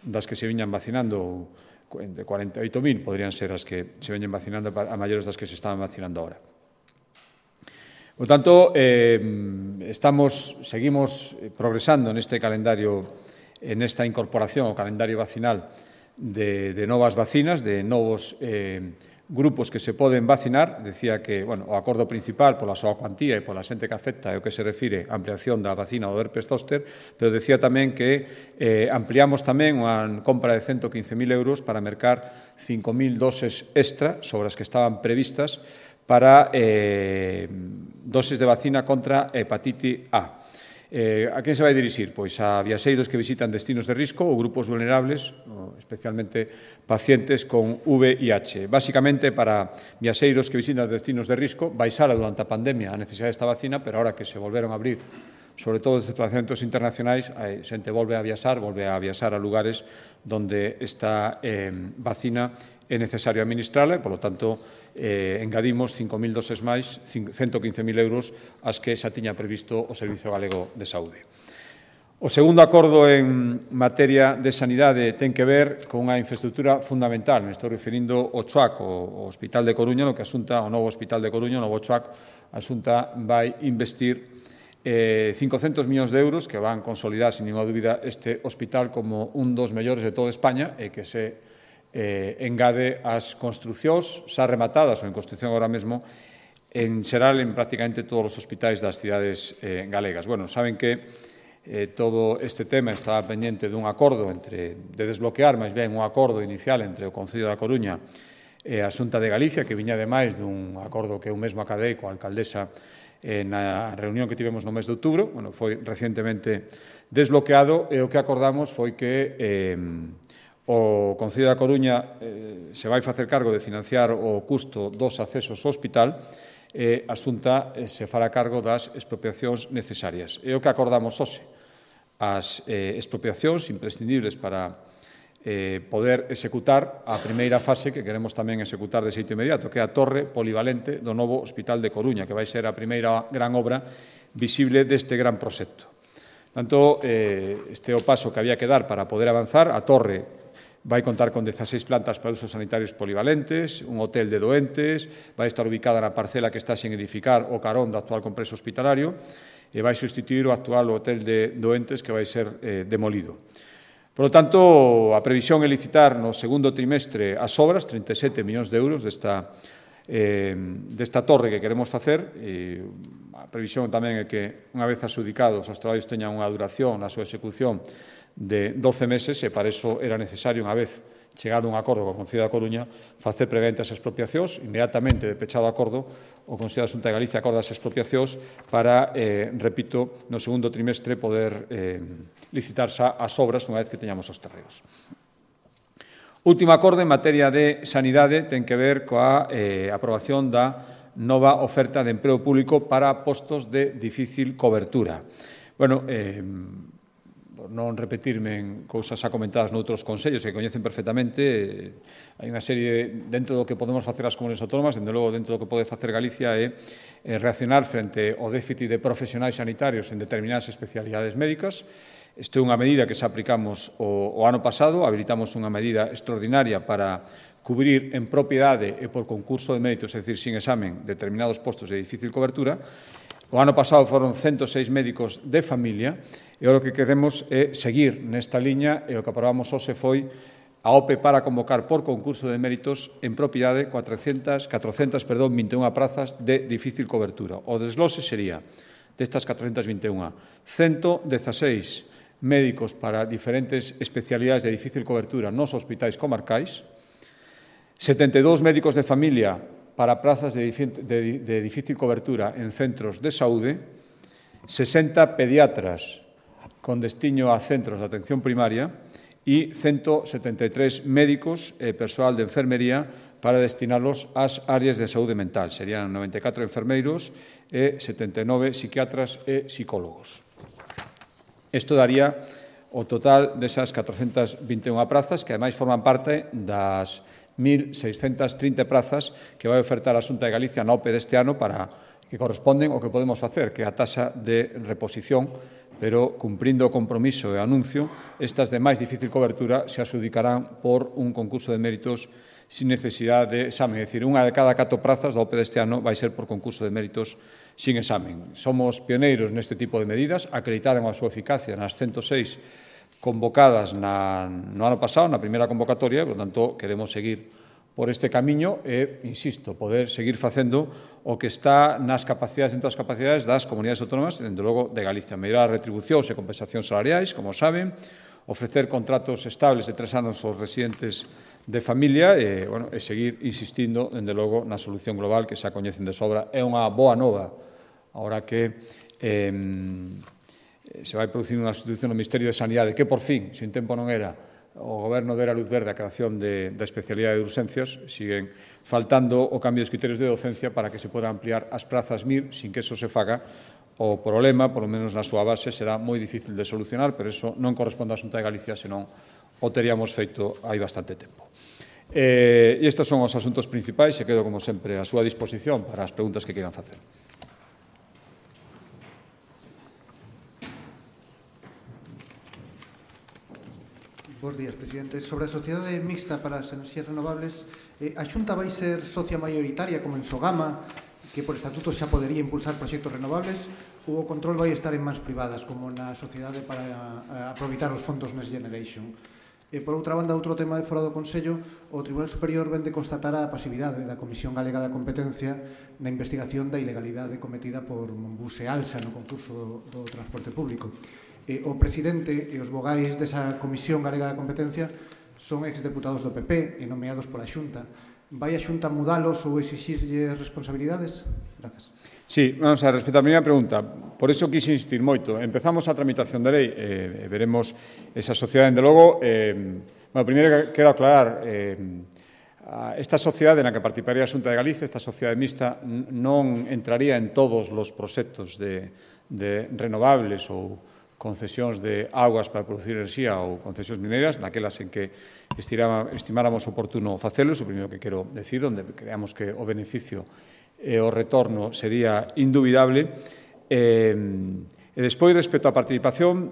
das que se viñan vacinando, de cuarenta e oito mil podrían ser as que se veñen vacinando a maiores das que se estaban vacinando ahora. Por tanto, eh, estamos, seguimos progresando neste calendario, en esta incorporación ao calendario vacinal de, de novas vacinas, de novos eh, grupos que se poden vacinar. Decía que, bueno, o acordo principal pola súa cuantía e pola xente que afecta é o que se refire á ampliación da vacina do herpes zóster, pero decía tamén que eh, ampliamos tamén unha compra de ciento quince mil euros para mercar cinco mil doses extra sobre as que estaban previstas para eh, doses de vacina contra hepatite A. Eh, a quen se vai dirixir? Pois a viaxeiros que visitan destinos de risco ou grupos vulnerables, especialmente pacientes con V I H. Básicamente, para viaxeiros que visitan destinos de risco, baixara durante a pandemia a necesidade desta vacina, pero ahora que se volveron a abrir, sobre todo os desplazamentos internacionais, a xente volve a viaxar, volve a viaxar a lugares onde esta eh, vacina é necesario administrala e, polo tanto, eh, engadimos cinco mil doses máis, ciento quince mil euros, as que xa tiña previsto o Servizo Galego de Saúde. O segundo acordo en materia de sanidade ten que ver con unha infraestructura fundamental. Me estou referindo ao CHOAC, o Hospital de Coruña, no que asunta o novo Hospital de Coruña, o novo CHOAC, asunta vai investir eh, cincocentos millóns de euros que van consolidar, sin ninguna dúbida, este hospital como un dos mellores de toda España e que se eh, engade as construcións xa rematadas ou en construción agora mesmo en xeral en prácticamente todos os hospitais das cidades eh, galegas. Bueno, saben que eh, todo este tema estaba pendiente dun acordo entre, de desbloquear, máis ben, un acordo inicial entre o Concello da Coruña e a Xunta de Galicia, que viña ademais dun acordo que eu mesmo acadei coa alcaldesa eh, na reunión que tivemos no mes de outubro. Bueno, foi recientemente desbloqueado e o que acordamos foi que eh, o Concello da Coruña eh, se vai facer cargo de financiar o custo dos accesos ao hospital e a Xunta eh, se fará cargo das expropiacións necesarias. É o que acordamos hoxe. As eh, expropiacións imprescindibles para eh, poder executar a primeira fase que queremos tamén executar de xeito inmediato, que é a torre polivalente do novo Hospital de Coruña, que vai ser a primeira gran obra visible deste gran proxecto. Tanto, eh, este é o paso que había que dar para poder avanzar. A torre vai contar con dezaseis plantas para usos sanitarios polivalentes, un hotel de doentes, vai estar ubicada na parcela que está sen edificar o carón do actual complexo hospitalario e vai sustituir o actual hotel de doentes que vai ser eh, demolido. Por lo tanto, a previsión é licitar no segundo trimestre as obras, trinta e sete millóns de euros desta, eh, desta torre que queremos facer. E a previsión tamén é que, unha vez adxudicados, os traballos teñan unha duración na súa execución de doce meses e para iso era necesario, unha vez chegado un acordo co Concello da Coruña, facer previamente as expropiacións. Inmediatamente de pechado acordo, o Consello da Xunta de Galicia acorda as expropiacións para, eh, repito, no segundo trimestre poder eh, licitar xa as obras unha vez que teñamos os terreos. Último acordo en materia de sanidade ten que ver coa eh, aprobación da nova oferta de emprego público para postos de difícil cobertura. Bueno, eh, por non repetirme en cousas xa comentadas noutros consellos que coñecen perfectamente, hai unha serie, dentro do que podemos facer as comunidades autónomas, dende logo dentro do que pode facer Galicia, é reaccionar frente ao déficit de profesionais sanitarios en determinadas especialidades médicas. Isto é unha medida que xa aplicamos o, o ano pasado, habilitamos unha medida extraordinaria para cubrir en propiedade e por concurso de méritos, é dicir, sin examen, determinados postos de difícil cobertura. O ano pasado foron ciento seis médicos de familia e o que queremos é seguir nesta liña e o que aprobamos hoxe foi a O P E para convocar por concurso de méritos en propiedade catrocentas, catrocentas, perdón, vinte e unha prazas de difícil cobertura. O desglose sería destas catrocentas vinte e unha, ciento dezaseis médicos para diferentes especialidades de difícil cobertura nos hospitais comarcais, setenta e dous médicos de familia para prazas de difícil cobertura en centros de saúde, sesenta pediatras con destiño a centros de atención primaria e ciento setenta e tres médicos e persoal de enfermería para destinarlos ás áreas de saúde mental. Serían noventa e catro enfermeiros e setenta e nove psiquiatras e psicólogos. Isto daría o total desas catrocentas vinte e unha prazas, que ademais forman parte das mil seiscentas trinta prazas que vai ofertar a Xunta de Galicia na O P E deste ano para que corresponden ao que podemos facer, que é a taxa de reposición, pero cumprindo o compromiso e anuncio, estas de máis difícil cobertura se adxudicarán por un concurso de méritos sin necesidade de examen. É dicir, unha de cada catro prazas da O P E deste ano vai ser por concurso de méritos sin examen. Somos pioneiros neste tipo de medidas, acreditaron a súa eficacia nas ciento seis convocadas na, no ano pasado, na primeira convocatoria, por tanto, queremos seguir por este camiño e, insisto, poder seguir facendo o que está nas capacidades, dentro das capacidades das comunidades autónomas, dentro logo de Galicia. Mellorar retribucións e compensacións salariais, como saben, ofrecer contratos estables de tres anos aos residentes de familia e, bueno, e seguir insistindo, dende logo, na solución global que xa coñecen de sobra. É unha boa nova, ahora que eh, se vai producir unha sustitución no Ministerio de Sanidade, que por fin, sin tempo non era, o Goberno dera luz verde a creación de, da especialidade de urxencias, siguen faltando o cambio dos criterios de docencia para que se poda ampliar as prazas M I R sin que eso se faga. O problema, por lo menos na súa base, será moi difícil de solucionar, pero eso non corresponde á Xunta de Galicia, senón o teríamos feito hai bastante tempo. Eh, e estes son os asuntos principais e quedo, como sempre, a súa disposición para as preguntas que queiran facer. Bos días, presidente. Sobre a Sociedade Mixta para as Enerxías Renovables, eh, a Xunta vai ser socia maioritaria como en Sogama, que por estatuto xa podería impulsar proxectos renovables, ou o control vai estar en mans privadas, como na Sociedade para a, aproveitar os fondos Next Generation? E, por outra banda, outro tema de fora do Consello, o Tribunal Superior vende constatar a pasividade da Comisión Galega da Competencia na investigación da ilegalidade cometida por Monbus e Alsa no concurso do transporte público. Eh, o presidente e os vogais desa Comisión Galega da Competencia son exdeputados do P P e nomeados pola Xunta. Vai a Xunta mudalos ou exixirlle responsabilidades? Grazas. Sí, vamos a respecto á primeira pregunta. Por iso quise insistir moito. Empezamos a tramitación da lei e eh, veremos esa sociedade, dende logo. Eh, bueno, primeiro quero aclarar, eh, esta sociedade na que participaría a Xunta de Galicia, esta sociedade mixta, non entraría en todos os proxectos de, de renovables ou concesións de augas para producir enerxía ou concesións mineras, naquelas en que estimáramos oportuno facelo. O primeiro que quero decir, onde creamos que o beneficio e o retorno sería indubidable. E, e despois, respecto á participación,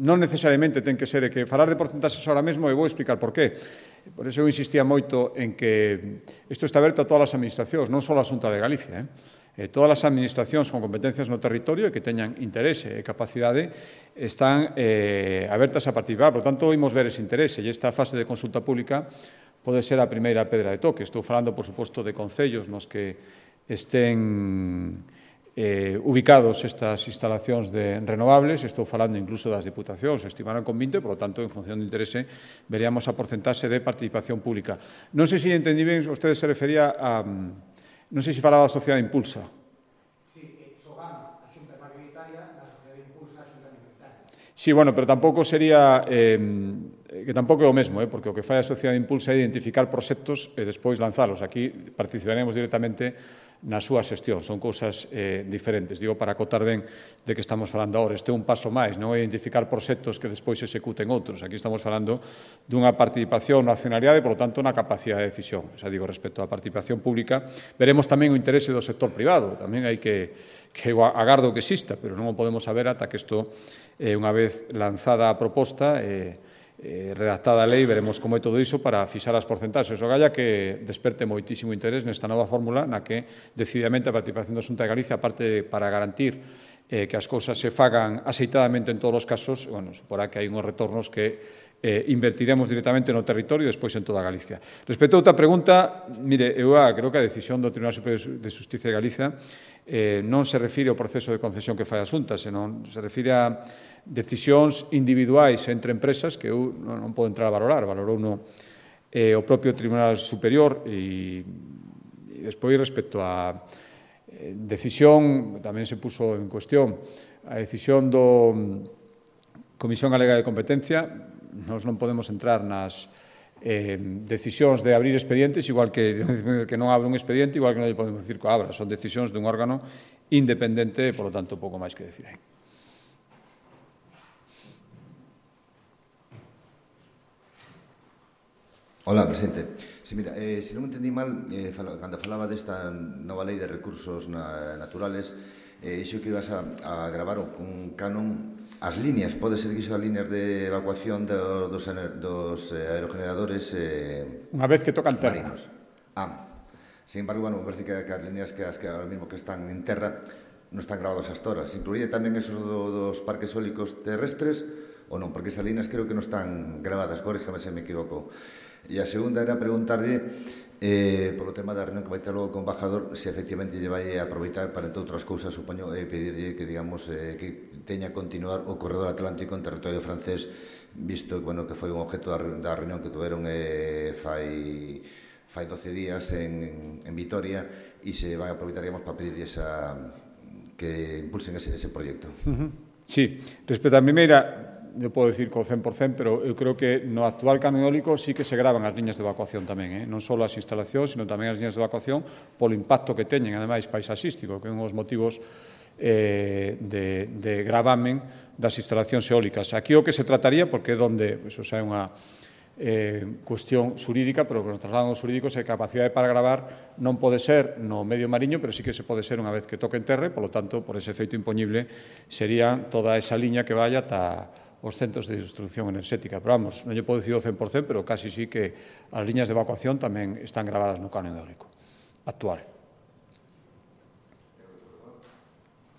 non necesariamente ten que ser que falar de porcentaxes ahora mesmo, e vou explicar por qué. Por iso eu insistía moito en que isto está aberto a todas as administracións, non só a Xunta de Galicia, eh? Eh, todas as administracións con competencias no territorio e que teñan interese e capacidade están eh, abertas a participar. Por tanto, imos ver ese interese e esta fase de consulta pública pode ser a primeira pedra de toque. Estou falando, por suposto, de concellos nos que estén eh, ubicados estas instalacións de renovables. Estou falando incluso das diputacións, estimarán con vinte, por lo tanto, en función do interese, veríamos a porcentaxe de participación pública. Non sei se entendí ben, usted se refería a... Non sei se falaba da Sociedade Impulsa. Sí, Sogama, a Xunta Mayoritaria, a Sociedade Impulsa, a Xunta Minoritaria. Sí, bueno, pero tampouco sería... Eh, que tampouco é o mesmo, eh, porque o que fai a Sociedade Impulsa é identificar proxectos e despois lanzalos. Aquí participaremos directamente na súa xestión. Son cousas eh, diferentes. Digo, para acotar ben de que estamos falando ahora. Este é un paso máis, non é identificar proxectos que despois se executen outros. Aquí estamos falando dunha participación no accionariado e, por lo tanto, na capacidade de decisión. Xa digo, respecto á participación pública, veremos tamén o interese do sector privado. Tamén hai que, que agardo que exista, pero non o podemos saber ata que isto, eh, unha vez lanzada a proposta, eh, Eh, redactada a lei, veremos como é todo iso para fixar as porcentaxes. O galla que desperte moitísimo interés nesta nova fórmula na que decididamente a participación da Xunta de Galicia, aparte para garantir eh, que as cousas se fagan aceitadamente en todos os casos, bueno, suporá que hai uns retornos que eh, invertiremos directamente no territorio e despois en toda Galicia. Respecto a outra pregunta, mire, eu creo que a decisión do Tribunal Superior de Xusticia de Galicia eh, non se refire ao proceso de concesión que fai a Xunta, senón se refire a decisións individuais entre empresas que eu non podo entrar a valorar, valorou no eh, o propio Tribunal Superior e, e despois respecto a eh, decisión, tamén se puso en cuestión a decisión do Comisión Galega de Competencia, nós non podemos entrar nas eh, decisións de abrir expedientes, igual que, que non abre un expediente, igual que non podemos decir que abra, son decisións dun órgano independente, por lo tanto, pouco máis que decir aí. Hola, presidente. Sí, mira, eh, se non entendí mal, eh, fala, cando falaba desta nova lei de recursos na, naturales, eh, iso que ibas a, a gravar un canon as líneas, pode ser que iso as líneas de evacuación do, dos, dos eh, aerogeneradores eh, unha vez que tocan terra. Marinos. Ah, sin embargo, bueno, me parece que, que as líneas que, as que ahora mismo que están en terra non están grabadas hasta ahora. Se incluiría tamén esos do, dos parques eólicos terrestres ou non? Porque esas líneas creo que non están grabadas, corríjame se me equivoco. E a segunda era preguntarlle eh, polo tema da reunión que vai ter logo con o embajador, se efectivamente lle vai a aproveitar para, entre outras cousas, supoño, eh, pedirlle que, digamos, eh, que teña a continuar o corredor atlántico en territorio francés, visto bueno, que foi un objeto da, da reunión que tuveron eh, fai, fai doce días en, en Vitoria, e se vai a aproveitar, digamos, para pedirlle esa, que impulsen ese, ese proxecto. Uh-huh. Sí, respecto a primeira, eu podo dicir co cen por cen, pero eu creo que no actual canon eólico sí que se gravan as liñas de evacuación tamén, eh? Non só as instalacións, sino tamén as liñas de evacuación polo impacto que teñen, ademais, paisaxístico, que é un dos motivos eh, de, de gravamen das instalacións eólicas. Aquí o que se trataría, porque é onde, iso xa é unha eh, cuestión xurídica, pero que nos trasladan os xurídicos é capacidade para gravar non pode ser no medio mariño, pero sí que se pode ser unha vez que toque en terra, polo tanto, por ese efeito impoñible, sería toda esa liña que vaya ata os centros de distribución enerxética. Pero vamos, non lle podo dicir o cen por cen, pero casi sí que as liñas de evacuación tamén están gravadas no canon eólico actual.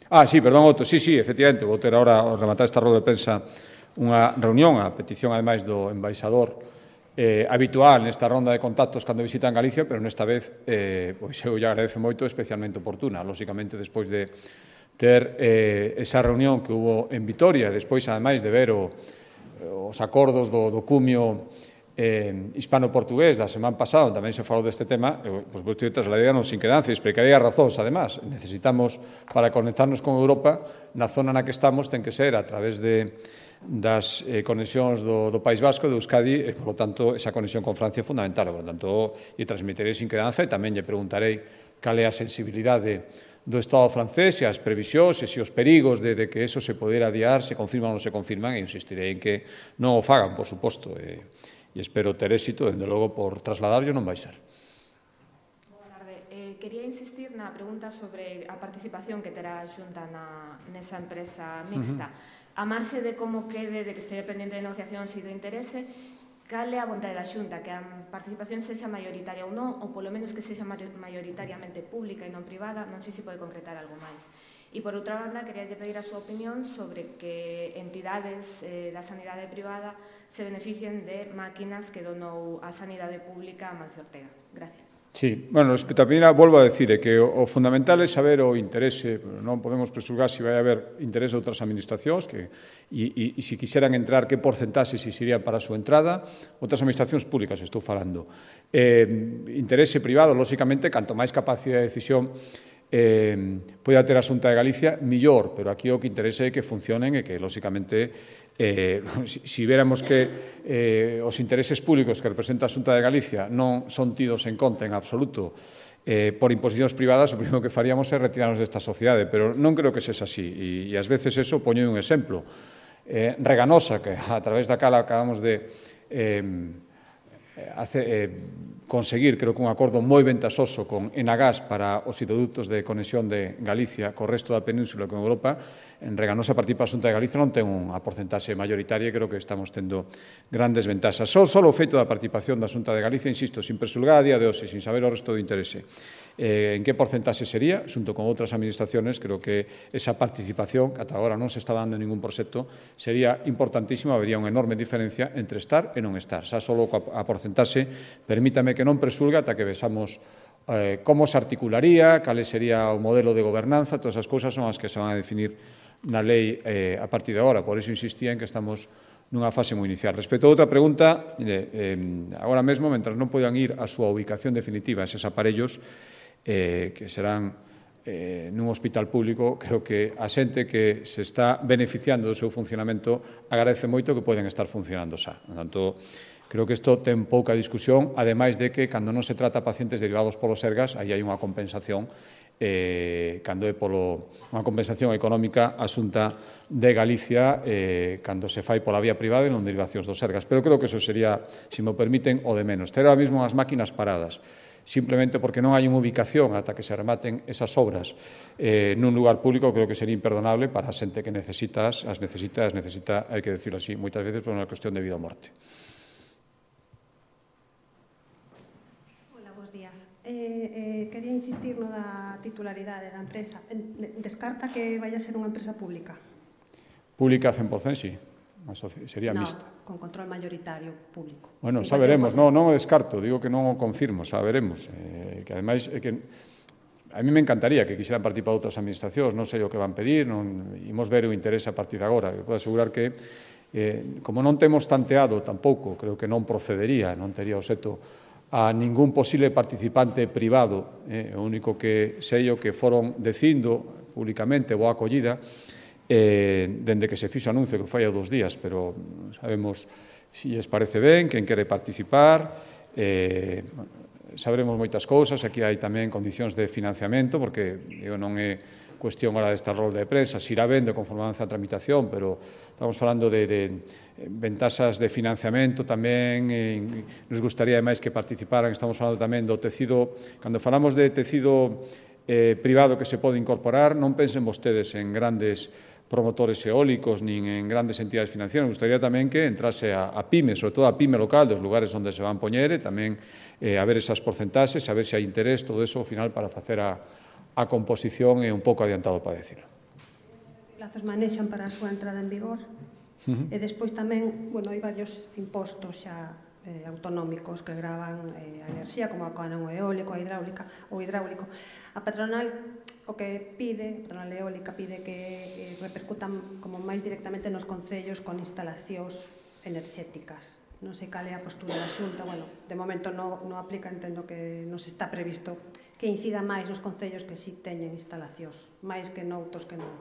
Ah, sí, perdón, Otto, sí, sí, efectivamente, vou ter ahora, ao rematar esta roda de prensa, unha reunión, a petición, ademais, do embaixador eh, habitual nesta ronda de contactos cando visitan Galicia, pero nesta vez, eh, pois eu lle agradezo moito, especialmente oportuna, lóxicamente, despois de ter eh, esa reunión que hubo en Vitoria, despois, ademais, de ver o, os acordos do, do cumio eh, hispano-portugués da semana pasada, tamén se falou deste tema, eu, por suposto, trasladaríanos sin quedanza, explicaría razóns, además, necesitamos, para conectarnos con Europa, na zona na que estamos, ten que ser a través de das eh, conexións do, do País Vasco, de Euskadi, e, por lo tanto, esa conexión con Francia é fundamental. Por lo tanto, lle transmitirei sin quedanza e tamén lle preguntarei cal é a sensibilidade do Estado francés e as previsións e se os perigos de, de que eso se podera adiar se confirman ou non se confirman, e insistirei en que non o fagan, por suposto, e, e espero ter éxito, dende logo, por trasladarlo non vai ser. Boa tarde. Eh, quería insistir na pregunta sobre a participación que terá a Xunta na, nesa empresa mixta. Uh-huh. A marxe de como quede, de que este dependente de negociación e do interese, cal é a vontade da Xunta? Que a participación sexa maioritaria ou non, ou polo menos que sexa maioritariamente pública e non privada? Non sei se pode concretar algo máis. E, por outra banda, quería pedir a súa opinión sobre que entidades eh, da sanidade privada se beneficien de máquinas que donou a sanidade pública a Mancio Ortega. Gracias. Sí, bueno, respecto a primeira, volvo a decir que o, o fundamental é saber o interese, non podemos presulgar se vai haber interese de outras administracións, que, e, e, e se quixeran entrar, que porcentaxe se irían para a súa entrada, outras administracións públicas, estou falando. Eh, interese privado, lóxicamente, canto máis capacidade de decisión eh, poida ter a Xunta de Galicia, millor, pero aquí o que interese é que funcionen e que, lóxicamente, Eh, si, si viéramos que eh, os intereses públicos que representa a Xunta de Galicia non son tidos en conta en absoluto eh, por imposicións privadas, o primeiro que faríamos é retirarnos desta sociedade, pero non creo que sexa así, e, e ás veces eso poño un exemplo. Eh, Reganosa, que a través da cala acabamos de eh, hace, eh, conseguir, creo que un acordo moi ventasoso con Enagás para os hidroductos de conexión de Galicia co resto da península e con Europa. En Reganosa, a partir da Xunta de Galicia, non ten unha porcentaxe maioritaria, e creo que estamos tendo grandes ventaxas. Só, só o feito da participación da Xunta de Galicia, insisto, sin presulgar a día de hoxe, sin saber o resto do interese, eh, en que porcentaxe sería, xunto con outras administraciones, creo que esa participación, que ata agora non se está dando en ningún proxecto, sería importantísima, habería unha enorme diferencia entre estar e non estar. Xa só a porcentaxe, permítame que non presulga ata que vexamos eh, como se articularía, cal sería o modelo de gobernanza, todas as cousas son as que se van a definir na lei eh, a partir de agora. Por iso insistía en que estamos nunha fase moi inicial. Respecto a outra pregunta, mire, eh, agora mesmo, mentras non podan ir a súa ubicación definitiva eses aparellos, eh, que serán eh, nun hospital público, creo que a xente que se está beneficiando do seu funcionamento agradece moito que poden estar funcionando xa. Por tanto, creo que isto ten pouca discusión, ademais de que, cando non se trata a pacientes derivados polos Sergas, aí hai unha compensación, eh, cando é polo, unha compensación económica asunta de Galicia, eh, cando se fai pola vía privada e non derivacións dos Sergas. Pero creo que eso sería, se me permiten, o de menos. Ter ahora mesmo as máquinas paradas, simplemente porque non hai unha ubicación ata que se rematen esas obras eh, nun lugar público, creo que sería imperdonable para a xente que necesitas, as necesita, as necesita, hai que decirlo así, moitas veces por unha cuestión de vida ou morte. Eh, eh, quería insistir no da titularidade da empresa. Descarta que vai a ser unha empresa pública? Pública cen por cento, sí. Sería no, mixta. Con control mayoritario público. Bueno, xa veremos. Non, non o descarto, digo que non o confirmo, xa veremos. Eh, que ademais, é que a mí me encantaría que quixeran participar outras administracións, non sei o que van pedir, non imos ver o interés a partir de agora. Eu podo asegurar que, eh, como non temos tanteado tampouco, creo que non procedería, non tería o seto a ningún posible participante privado, eh, o único que sei o que foron dicindo públicamente boa acollida, eh, dende que se fixo anuncio que foi há dos días, pero sabemos se lles parece ben, quen quere participar, eh, sabremos moitas cousas, aquí hai tamén condicións de financiamento, porque eu non é cuestión ahora desta rol de prensa, se irá vendo conforme avanza a tramitación, pero estamos falando de, de ventaxas de financiamento tamén, e nos gustaría máis que participaran, estamos falando tamén do tecido, cando falamos de tecido eh, privado que se pode incorporar, non pensen vostedes en grandes promotores eólicos nin en grandes entidades financieras, nos gustaría tamén que entrase a, a PYME, sobre todo a PYME local, dos lugares onde se van poñer, e tamén eh, a ver esas porcentaxes, a ver se hai interés, todo eso ao final para facer a a composición é un pouco adiantado para decirlo. Os plazos manexan para a súa entrada en vigor? Uh-huh. E despois tamén, bueno, hai varios impostos xa eh, autonómicos que gravan eh, a enerxía, como a canon eólico, a hidráulica ou hidráulico. A patronal o que pide, a patronal eólica pide que eh, repercutan como máis directamente nos concellos con instalacións enerxéticas. Non sei cal é a postura da Xunta, bueno, de momento non no aplica, entendo que non se está previsto que incida máis nos concellos que si teñen instalacións, máis que noutros que non.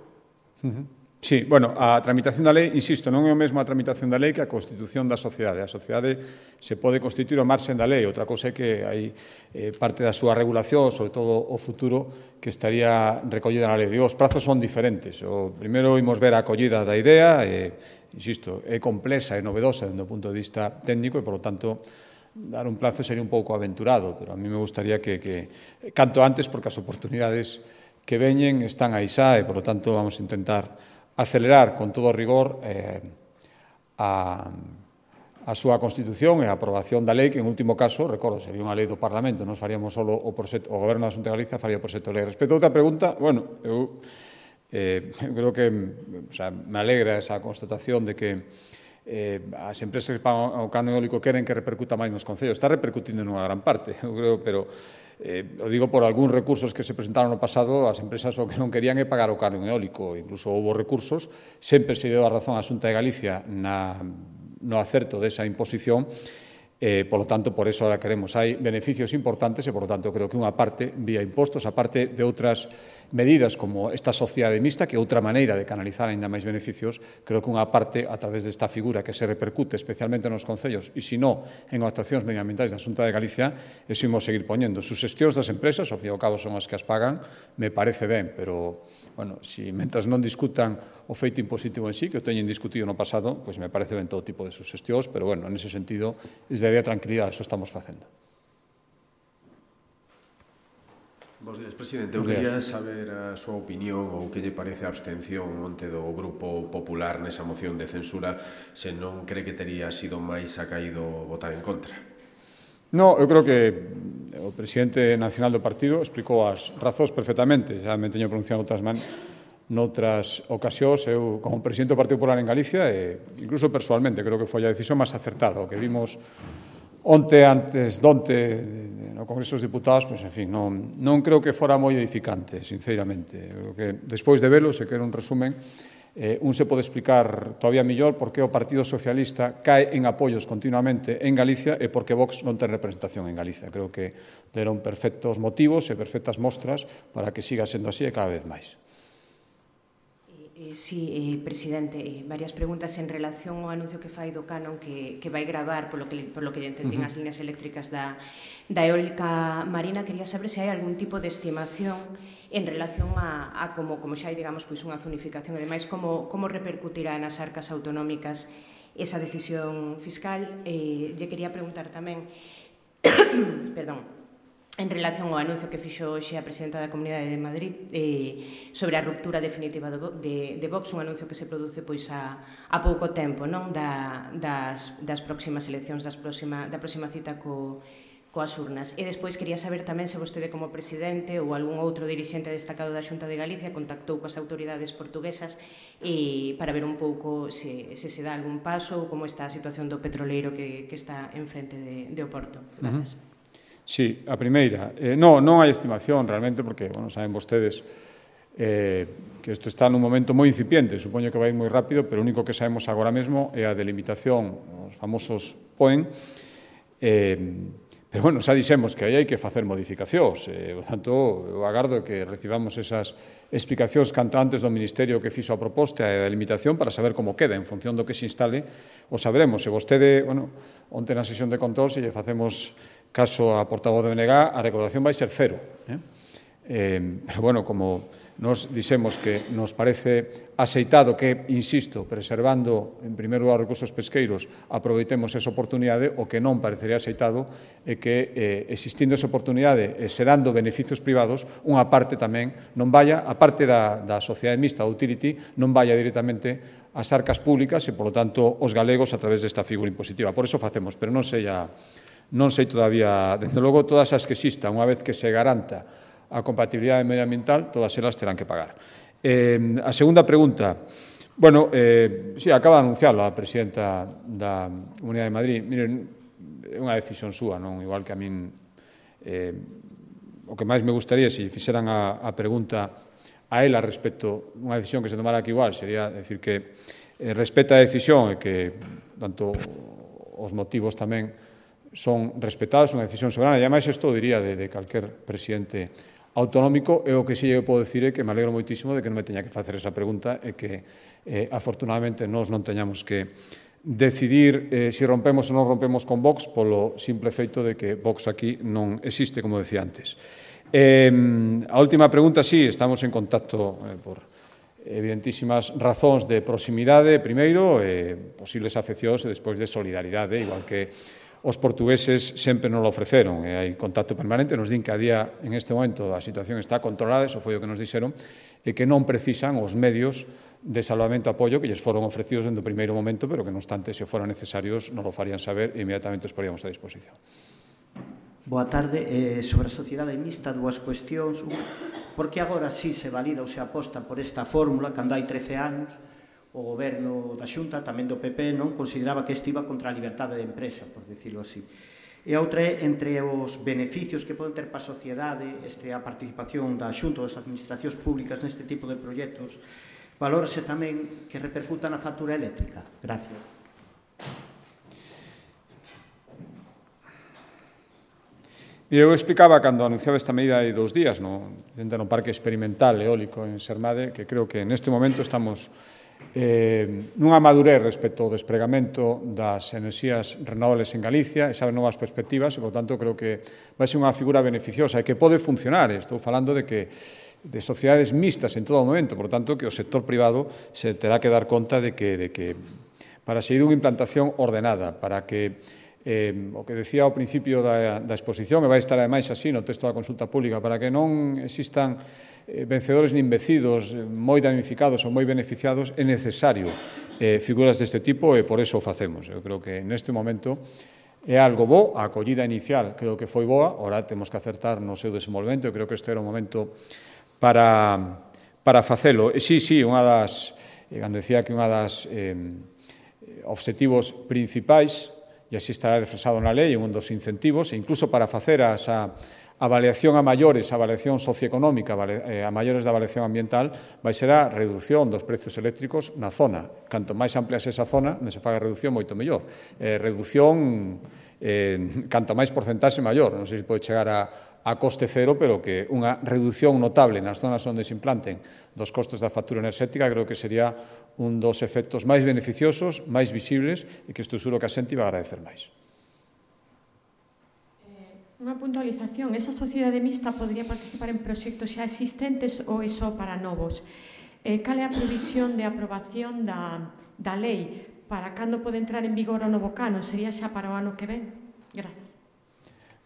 Uh-huh. Sí, bueno, a tramitación da lei, insisto, non é o mesmo a tramitación da lei que a constitución da sociedade. A sociedade se pode constituir ao marxen da lei, outra cousa é que hai eh, parte da súa regulación, sobre todo o futuro, que estaría recollida na lei. Digo, os prazos son diferentes. O primeiro imos ver a acollida da idea, e, insisto, é complexa e novedosa dende o punto de vista técnico e, por lo tanto, dar un plazo sería un pouco aventurado, pero a mí me gustaría que, que canto antes, porque as oportunidades que veñen están aí xa e, por lo tanto, vamos a intentar acelerar con todo rigor eh, a, a súa constitución e a aprobación da lei, que en último caso, recordo, sería unha lei do Parlamento, non faríamos solo o, proxecto, o Goberno da Xunta de Galicia faría o proxecto de lei. Respecto a outra pregunta, bueno, eu, eh, eu creo que o sea, me alegra esa constatación de que eh, as empresas que pagan o canon eólico queren que repercuta máis nos concellos. Está repercutindo nunha gran parte, eu creo, pero eh, o digo por algúns recursos que se presentaron no pasado, as empresas o que non querían é pagar o canon eólico, incluso houve recursos, sempre se deu a razón á Xunta de Galicia na, no acerto desa imposición, eh, por lo tanto, por eso ahora queremos. Hai beneficios importantes e, por lo tanto, creo que unha parte vía impostos, a parte de outras medidas como esta sociedade mixta, que é outra maneira de canalizar aínda máis beneficios, creo que unha parte, a través desta figura que se repercute especialmente nos concellos e, se non, en actuacións medioambientais da Xunta de Galicia, eso imos seguir poñendo. Susestións das empresas, ao fin e ao cabo son as que as pagan, me parece ben, pero, bueno, si mentras non discutan o feito impositivo en sí, que o teñen discutido no pasado, pois me parece ben todo tipo de susestións, pero, bueno, en ese sentido, desde a tranquilidade, eso estamos facendo. Bos días, presidente. Eu quería saber a súa opinión ou que lle parece a abstención onte do Grupo Popular nesa moción de censura, se non cree que tería sido máis acaído votar en contra. No, eu creo que o presidente nacional do partido explicou as razóns perfectamente, xa me teño pronunciado outras man noutras ocasións. Eu, como presidente do Partido Popular en Galicia, e incluso persoalmente, creo que foi a decisión máis acertada. O que vimos onte antes donte no Congreso dos Diputados, pois, en fin, non, non creo que fora moi edificante, sinceramente. Creo que despois de velo, se quere un resumen, eh, un se pode explicar todavía mellor por que o Partido Socialista cae en apoios continuamente en Galicia e por que Vox non ten representación en Galicia. Creo que deron perfectos motivos e perfectas mostras para que siga sendo así e cada vez máis. Sí, eh, presidente, eh, varias preguntas en relación ao anuncio que fai do canon que, que vai gravar, polo que, por lo que entendín, uh -huh. as líneas eléctricas da, da eólica marina. Quería saber se hai algún tipo de estimación en relación a, a como, como xa hai, digamos, pois unha zonificación e demais, como, como repercutirá nas arcas autonómicas esa decisión fiscal. Eh, lle quería preguntar tamén, perdón, en relación ao anuncio que fixo hoxe a presidenta da Comunidade de Madrid eh, sobre a ruptura definitiva do, de, de Vox, un anuncio que se produce pois a, a pouco tempo, non, da, das, das próximas eleccións, das próxima, da próxima cita co, coas urnas. E despois quería saber tamén se vostede como presidente ou algún outro dirixente destacado da Xunta de Galicia contactou coas autoridades portuguesas e para ver un pouco se, se se dá algún paso ou como está a situación do petroleiro que, que está enfrente de, de Oporto. Grazas. Uh -huh. Sí, a primeira. Eh, non, non hai estimación realmente, porque, bueno, saben vostedes eh, que isto está nun momento moi incipiente, supoño que vai moi rápido, pero o único que sabemos agora mesmo é a delimitación, os famosos P O E N, eh, pero, bueno, xa dixemos que aí hai que facer modificacións, eh, por tanto, eu agardo que recibamos esas explicacións canto antes do Ministerio que fixo a proposta e a delimitación para saber como queda, en función do que se instale, o saberemos. Se vostede, bueno, onte na sesión de control, se lle facemos caso a portavoz de B N G, a recaudación vai ser cero. Eh? Eh, pero, bueno, como nos dixemos que nos parece aceitado que, insisto, preservando, en primeiro lugar, os recursos pesqueiros, aproveitemos esa oportunidade, o que non parecería aceitado é que, eh, existindo esa oportunidade e serando beneficios privados, unha parte tamén non vaya, a parte da, da sociedade mixta, da utility, non vaya directamente ás arcas públicas e, polo tanto, os galegos a través desta figura impositiva. Por eso facemos, pero non sei a... Non sei todavía, desde logo, todas as que existan, unha vez que se garanta a compatibilidade medioambiental, todas elas terán que pagar. Eh, a segunda pregunta, bueno, eh, sí, acaba de anunciarlo a presidenta da Comunidade de Madrid. Miren, é unha decisión súa, non? Igual que a min, eh, o que máis me gustaría, se fixeran a, a pregunta a ela respecto a unha decisión que se tomara aquí igual, sería decir que eh, respeta a decisión e que, tanto, os motivos tamén son respetados, unha decisión soberana, e ademais isto diría de, de calquer presidente autonómico, e o que si eu podo dicir é que me alegro moitísimo de que non me teña que facer esa pregunta e que, eh, afortunadamente, nós non teñamos que decidir eh, se si rompemos ou non rompemos con Vox polo simple feito de que Vox aquí non existe, como decía antes. Eh, a última pregunta, sí, estamos en contacto eh, por evidentísimas razóns de proximidade, primeiro, eh, posibles afeccións e despois de solidaridade, igual que os portugueses sempre nos lo ofreceron, e hai contacto permanente, nos din que a día, en este momento, a situación está controlada, eso foi o que nos dixeron, e que non precisan os medios de salvamento e apoio que lles foron ofrecidos dende o primeiro momento, pero que, non obstante, se foran necesarios, nos lo farían saber e inmediatamente os poríamos a disposición. Boa tarde. Eh, sobre a sociedade mixta, dúas cuestións. Por que agora sí se valida ou se aposta por esta fórmula, cando hai trece anos, o goberno da Xunta, tamén do P P, non consideraba que isto iba contra a liberdade de empresa, por decirlo así. E a outra é, entre os beneficios que poden ter para a sociedade este, a participación da Xunta ou das administracións públicas neste tipo de proxectos, valórase tamén que repercuta na factura eléctrica. Gracias. Eu explicaba cando anunciaba esta medida hai dous días no, dentro do parque experimental eólico en Sermade, que creo que neste momento estamos eh, nunha madurez respecto ao despregamento das enerxías renovables en Galicia, e saben novas perspectivas, e, por tanto, creo que vai ser unha figura beneficiosa e que pode funcionar. Estou falando de que de sociedades mixtas en todo o momento, por tanto, que o sector privado se terá que dar conta de que, de que para seguir unha implantación ordenada, para que Eh, o que decía ao principio da, da exposición, e vai estar ademais así no texto da consulta pública, para que non existan eh, vencedores nin vencidos, eh, moi damnificados ou moi beneficiados, é necesario eh, figuras deste tipo, e por eso o facemos. Eu creo que neste momento é algo bo, a acollida inicial creo que foi boa, ora temos que acertar no seu desenvolvemento, eu creo que este era o momento para, para facelo. E sí, sí, unha das, cando decía que unha das eh, obxectivos principais e así estará reflexado na lei, un dos incentivos, e incluso para facer asa avaliación a maiores, a avaliación socioeconómica, a maiores da avaliación ambiental, vai ser a reducción dos precios eléctricos na zona. Canto máis amplia esa zona, non se faga reducción, moito mellor. Eh, reducción, eh, canto máis porcentaxe maior. Non sei se pode chegar a, a coste cero, pero que unha reducción notable nas zonas onde se implanten dos costes da factura enerxética, creo que sería un dos efectos máis beneficiosos, máis visibles, e que estou seguro que a xente vai agradecer máis. Unha puntualización, esa sociedade mixta podría participar en proxectos xa existentes ou é só para novos? Eh, cal é a previsión de aprobación da, da lei? Para cando pode entrar en vigor o novo canon? Sería xa para o ano que ven? Gracias.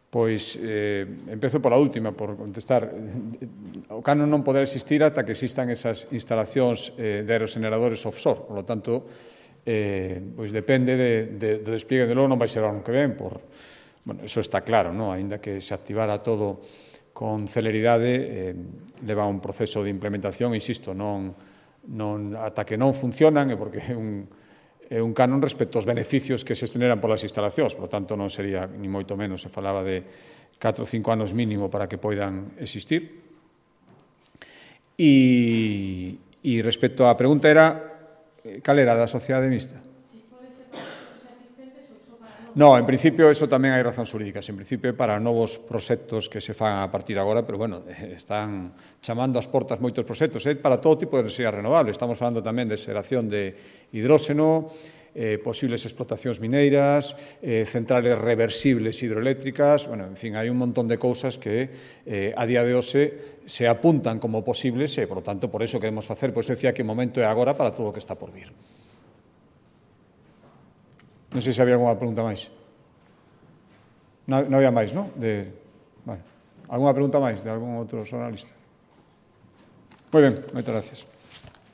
Pois, eh, empezo pola última, por contestar. O canon non poderá existir ata que existan esas instalacións eh, de aerogeneradores offshore. Por lo tanto, eh, pois depende de, de, do despliegue de logo, non vai ser o ano que ven, por... Bueno, eso está claro, non? Ainda que se activara todo con celeridade, eh, leva un proceso de implementación, insisto, non, non, ata que non funcionan, é porque é un, é un canon respecto aos beneficios que se generan polas instalacións, por tanto non sería, ni moito menos, se falaba de catro ou cinco anos mínimo para que poidan existir. E, e respecto á pregunta era, cal era da sociedade mixta? No, en principio, eso tamén hai razóns xurídicas. En principio, para novos proxectos que se fan a partir de agora, pero, bueno, están chamando as portas moitos proxectos. É para todo tipo de enerxía renovable. Estamos falando tamén de xeración de hidróxeno, eh, posibles explotacións mineiras, eh, centrales reversibles hidroeléctricas, bueno, en fin, hai un montón de cousas que eh, a día de hoxe se apuntan como posibles e, por lo tanto, por eso queremos facer, por eso decía que o momento é agora para todo o que está por vir. Non sei se había alguna pregunta máis. Non, non había máis, non? De... Vale. Alguna pregunta máis de algún outro xornalista? Moi ben, moitas gracias.